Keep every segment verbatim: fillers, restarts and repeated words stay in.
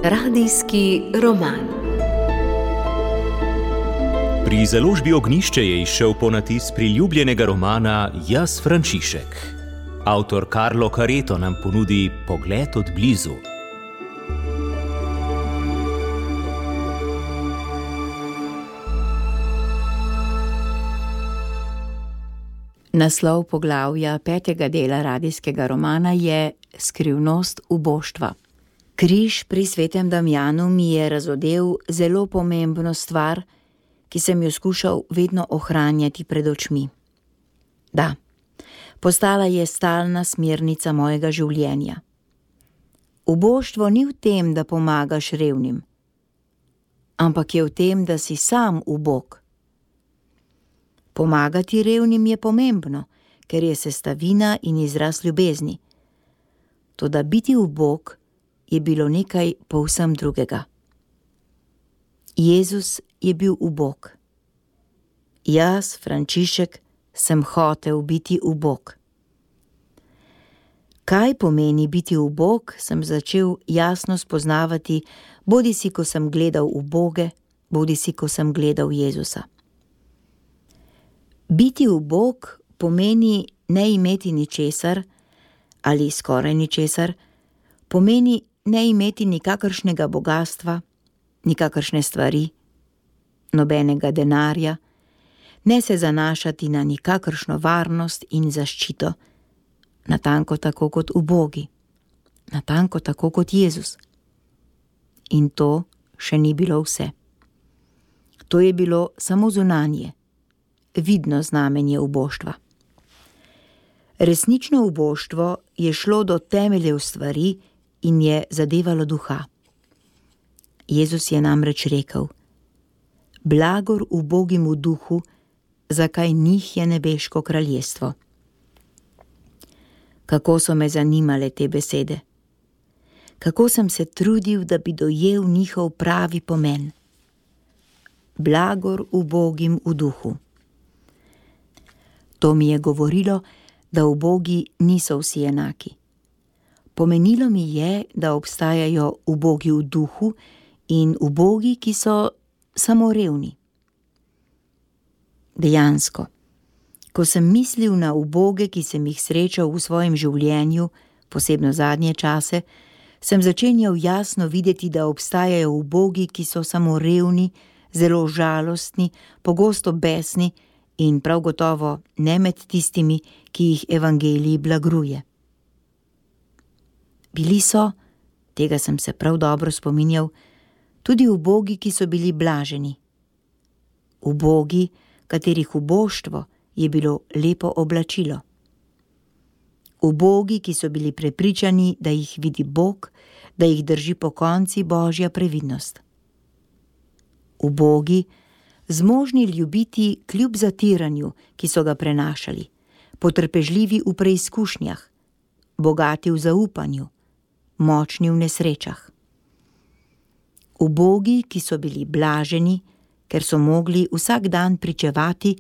Radijski roman. Pri založbi Ognjišče je izšel ponatis priljubljenega romana Jaz, Frančišek. Avtor Carlo Careto nam ponudi pogled od blizu. Naslov poglavja petega dela radijskega romana je Skrivnost uboštva. Križ pri svetem Damjanu mi je razodel zelo pomembno stvar, ki sem jo skušal vedno ohranjati pred očmi. Da, postala je stalna smernica mojega življenja. Uboštvo ni v tem, da pomagaš revnim, ampak je v tem, da si sam ubog. Pomagati revnim je pomembno, ker je sestavina in izraz ljubezni. Toda biti ubog je bilo nekaj povsem drugega. Jezus je bil ubog. Jaz, Frančišek, sem hotel biti ubog. Kaj pomeni biti ubog, sem začel jasno spoznavati, bodisi ko sem gledal uboge, bodisi ko sem gledal Jezusa. Biti ubog pomeni ne imeti ničesar ali skoraj ničesar, pomeni ne imeti nikakršnega bogastva, nikakršne stvari, nobenega denarja, ne se zanašati na nikakršno varnost in zaščito, natanko tako kot ubogi, natanko tako kot Jezus. In to še ni bilo vse. To je bilo samo zunanje, vidno znamenje uboštva. Resnično uboštvo je šlo do temeljev stvari in je zadevalo duha. Jezus je namreč rekel: Blagor ubogim v duhu, zakaj njih je nebeško kraljestvo. Kako so me zanimale te besede. Kako sem se trudil, da bi dojel njihov pravi pomen. Blagor ubogim v duhu. To mi je govorilo, da ubogi niso vsi enaki. Pomenilo mi je, da obstajajo ubogi v duhu in ubogi, ki so samo revni. Dejansko, ko sem mislil na uboge, ki sem jih srečal v svojem življenju, posebno zadnje čase, sem začenjal jasno videti, da obstajajo ubogi, ki so samo revni, zelo žalostni, pogosto besni in prav gotovo ne med tistimi, ki jih evangelij blagruje. Bili so, tega sem se prav dobro spominjal, tudi ubogi, ki so bili blaženi. Ubogi, katerih uboštvo je bilo lepo oblačilo. Ubogi, ki so bili prepričani, da jih vidi Bog, da jih drži pokonci Božja previdnost. Ubogi, zmožni ljubiti kljub zatiranju, ki so ga prenašali, potrpežljivi v preizkušnjah, bogati v zaupanju, močni v nesrečah. Ubogi, ki so bili blaženi, ker so mogli vsak dan pričevati,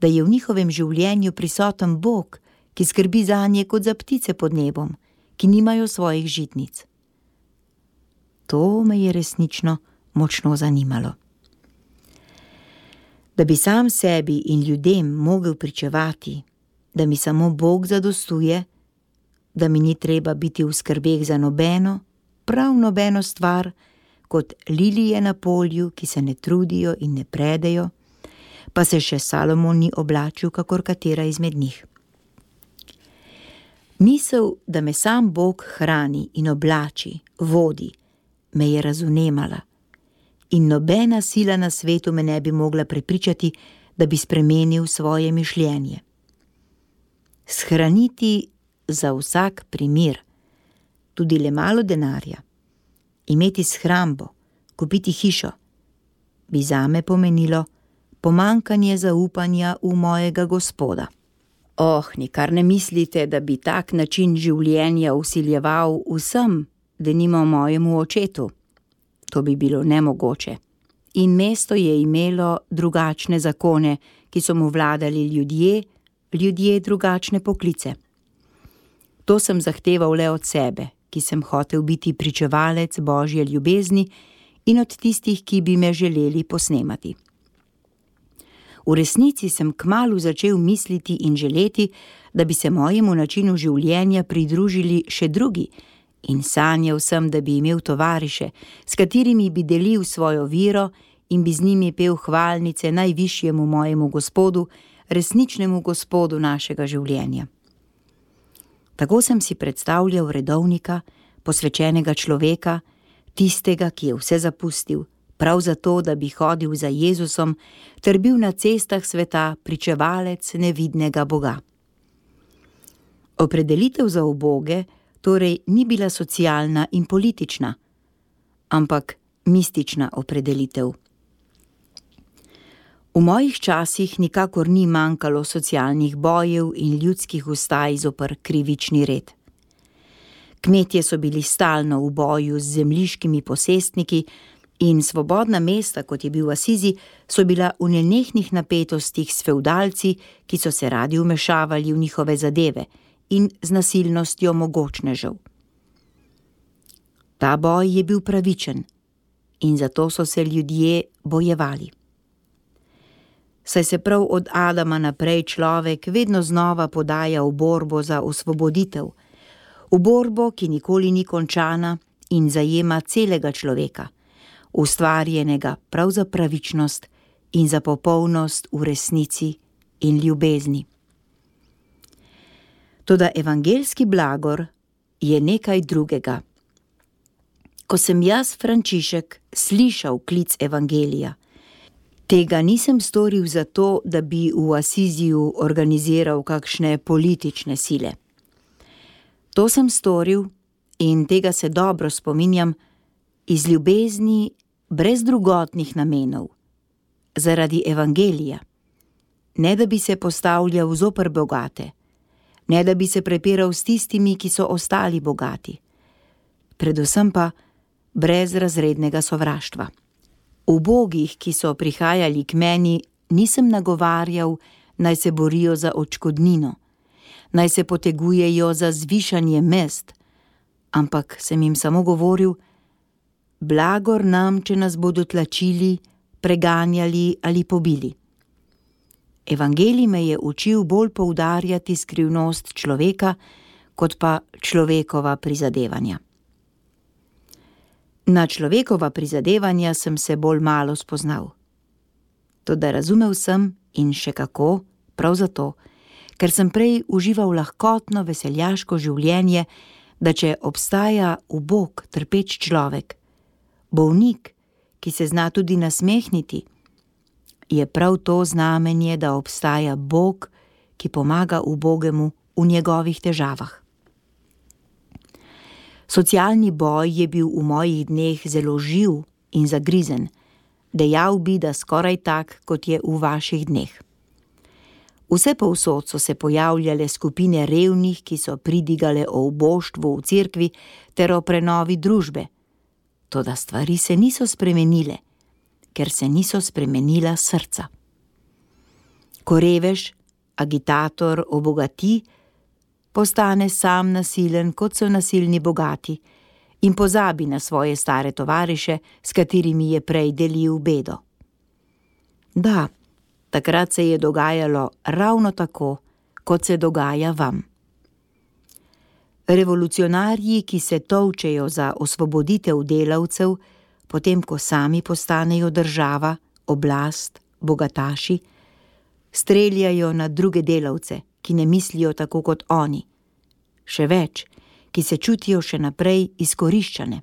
da je v njihovem življenju prisoten Bog, ki skrbi zanje kot za ptice pod nebom, ki nimajo svojih žitnic. To me je resnično močno zanimalo. Da bi sam sebi in ljudem mogel pričevati, da mi samo Bog zadostuje, da mi ni treba biti v skrbeh za nobeno, prav nobeno stvar, kot lilije na polju, ki se ne trudijo in ne predejo, pa se še Salomon ni oblačil kakor katera izmed njih. Misel, da me sam Bog hrani in oblači, vodi, me je razvnemala in nobena sila na svetu me ne bi mogla prepričati, da bi spremenil svoje mišljenje. Shraniti za vsak primer, tudi le malo denarja, imeti shrambo, kupiti hišo, bi zame pomenilo pomanjkanje zaupanja v mojega Gospoda. Oh, nikar ne mislite, da bi tak način življenja vsiljeval vsem, denimo mojemu očetu. To bi bilo nemogoče. In mesto je imelo drugačne zakone, ki so mu vladali ljudje, ljudje drugačne poklice. To sem zahteval le od sebe, ki sem hotel biti pričevalec Božje ljubezni in od tistih, ki bi me želeli posnemati. V resnici sem kmalu začel misliti in želeti, da bi se mojemu načinu življenja pridružili še drugi, in sanjal sem, da bi imel tovariše, s katerimi bi delil svojo vero in bi z njimi pel hvalnice najvišjemu mojemu Gospodu, resničnemu Gospodu našega življenja. Tako sem si predstavljal redovnika, posvečenega človeka, tistega, ki je vse zapustil, prav zato, da bi hodil za Jezusom ter bil na cestah sveta pričevalec nevidnega Boga. Opredelitev za uboge torej ni bila socialna in politična, ampak mistična opredelitev. V mojih časih nikakor ni manjkalo socialnih bojev in ljudskih vstaj zoper krivični red. Kmetje so bili stalno v boju z zemljiškimi posestniki in svobodna mesta, kot je bil Asizi, so bila v nenehnih napetostih s fevdalci, ki so se radi vmešavali v njihove zadeve in z nasilnostjo mogočnežev. Ta boj je bil pravičen in zato so se ljudje bojevali. Saj se prav od Adama naprej človek vedno znova podaja v borbo za osvoboditev, v borbo, ki nikoli ni končana in zajema celega človeka, ustvarjenega prav za pravičnost in za popolnost v resnici in ljubezni. Toda evangeljski blagor je nekaj drugega. Ko sem jaz, Frančišek, slišal klic evangelija, tega nisem storil zato, da bi v Asiziju organiziral kakšne politične sile. To sem storil, in tega se dobro spominjam, iz ljubezni brez drugotnih namenov, zaradi evangelija, ne da bi se postavljal zoper bogate, ne da bi se prepiral s tistimi, ki so ostali bogati, predvsem pa brez razrednega sovraštva. Ubogih, ki so prihajali k meni, nisem nagovarjal, naj se borijo za odškodnino, naj se potegujejo za zvišanje mest, ampak sem jim samo govoril: blagor nam, če nas bodo tlačili, preganjali ali pobili. Evangelij me je učil bolj poudarjati skrivnost človeka, kot pa človekova prizadevanja. Na človekova prizadevanja sem se bolj malo spoznal. Toda razumel sem, in še kako, prav zato, ker sem prej užival lahkotno veseljaško življenje, da če obstaja ubog, trpeč človek, bolnik, ki se zna tudi nasmehniti, je prav to znamenje, da obstaja Bog, ki pomaga ubogemu v njegovih težavah. Socialni boj je bil v mojih dneh zelo živ in zagrizen, dejal bi, da skoraj tak, kot je v vaših dneh. Vse povsod so se pojavljale skupine revnih, ki so pridigale o uboštvu v cerkvi ter o prenovi družbe. Toda stvari se niso spremenile, ker se niso spremenila srca. Ko revež, agitator obogati, postane sam nasilen, kot so nasilni bogati, in pozabi na svoje stare tovariše, s katerimi je prej delil bedo. Da, takrat se je dogajalo ravno tako, kot se dogaja vam. Revolucionarji, ki se tolčejo za osvoboditev delavcev, potem ko sami postanejo država, oblast, bogataši, streljajo na druge delavce, ki ne mislijo tako kot oni, še več, ki se čutijo še naprej izkoriščane.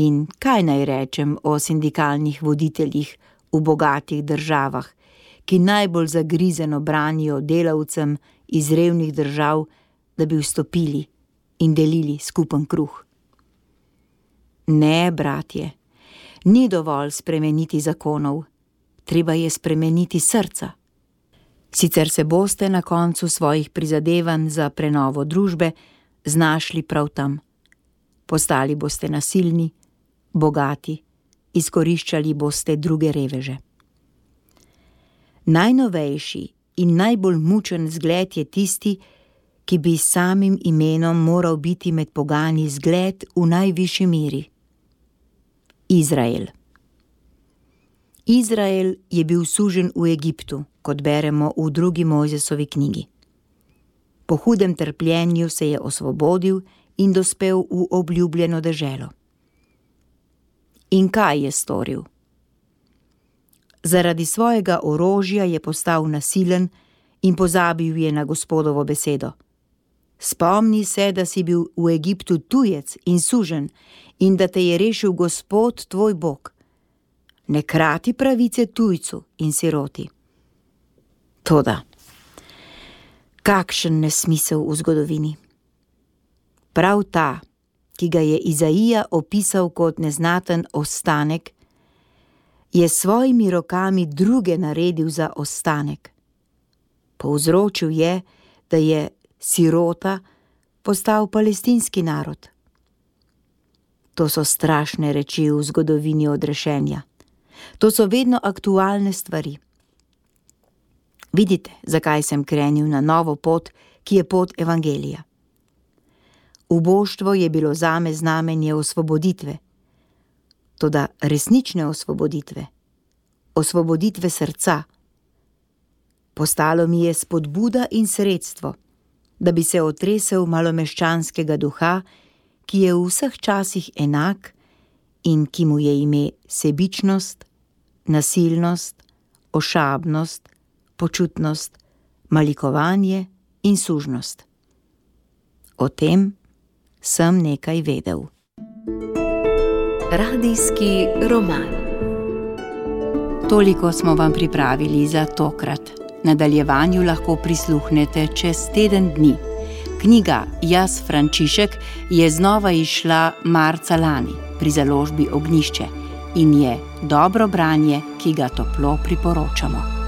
In kaj naj rečem o sindikalnih voditeljih v bogatih državah, ki najbolj zagrizeno branijo delavcem iz revnih držav, da bi vstopili in delili skupen kruh? Ne, bratje, ni dovolj spremeniti zakonov, treba je spremeniti srca. Sicer se boste na koncu svojih prizadevanj za prenovo družbe znašli prav tam. Postali boste nasilni, bogati, izkoriščali boste druge reveže. Najnovejši in najbolj mučen zgled je tisti, ki bi s samim imenom moral biti med pogani zgled v najvišji meri. Izrael. Izrael je bil suženj v Egiptu, kot beremo v drugi Mojzesovi knjigi. Po hudem trpljenju se je osvobodil in dospel v obljubljeno deželo. In kaj je storil? Zaradi svojega orožja je postal nasilen in pozabil je na Gospodovo besedo. Spomni se, da si bil v Egiptu tujec in suženj in da te je rešil Gospod tvoj Bog. Ne krati pravice tujcu in siroti. Toda, kakšen nesmisel v zgodovini. Prav ta, ki ga je Izaija opisal kot neznaten ostanek, je s svojimi rokami druge naredil za ostanek. Povzročil je, da je sirota postal palestinski narod. To so strašne reči v zgodovini odrešenja. To so vedno aktualne stvari. Vidite, zakaj sem krenil na novo pot, ki je pot evangelija. Uboštvo je bilo zame znamenje osvoboditve, toda resnične osvoboditve, osvoboditve srca. Postalo mi je spodbuda in sredstvo, da bi se otresel malomeščanskega duha, ki je v vseh časih enak in ki mu je ime sebičnost, nasilnost, ošabnost, počutnost, malikovanje in sužnost. O tem sem nekaj vedel. Radijski roman. Toliko smo vam pripravili za tokrat. Nadaljevanju lahko prisluhnete čez teden dni. Knjiga Jaz Frančišek je znova izšla marca lani pri založbi Ognjišče in je dobro branje, ki ga toplo priporočamo.